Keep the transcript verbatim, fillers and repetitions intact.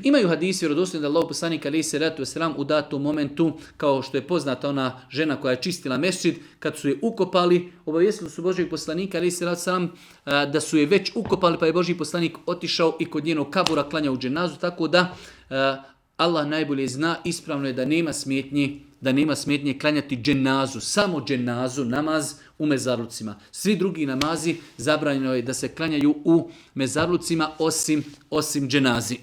Imaju hadisi vjerodostojni da Allahov poslanik alejhi selatu vesselam u datom momentu, kao što je poznata ona žena koja je čistila mesdžid, kad su je ukopali, obavijestili su Božjeg poslanika alejhi selatu vesselam da su je već ukopali, pa je Božji poslanik otišao i kod njenog kabura klanjao dženazu, tako da Allah najbolje zna, ispravno je da nema smetnji, da nema smetnje klanjati dženazu, samo dženazu, namaz u mezarlucima. Svi drugi namazi zabranjeno je da se klanjaju u mezarlucima osim, osim dženazi.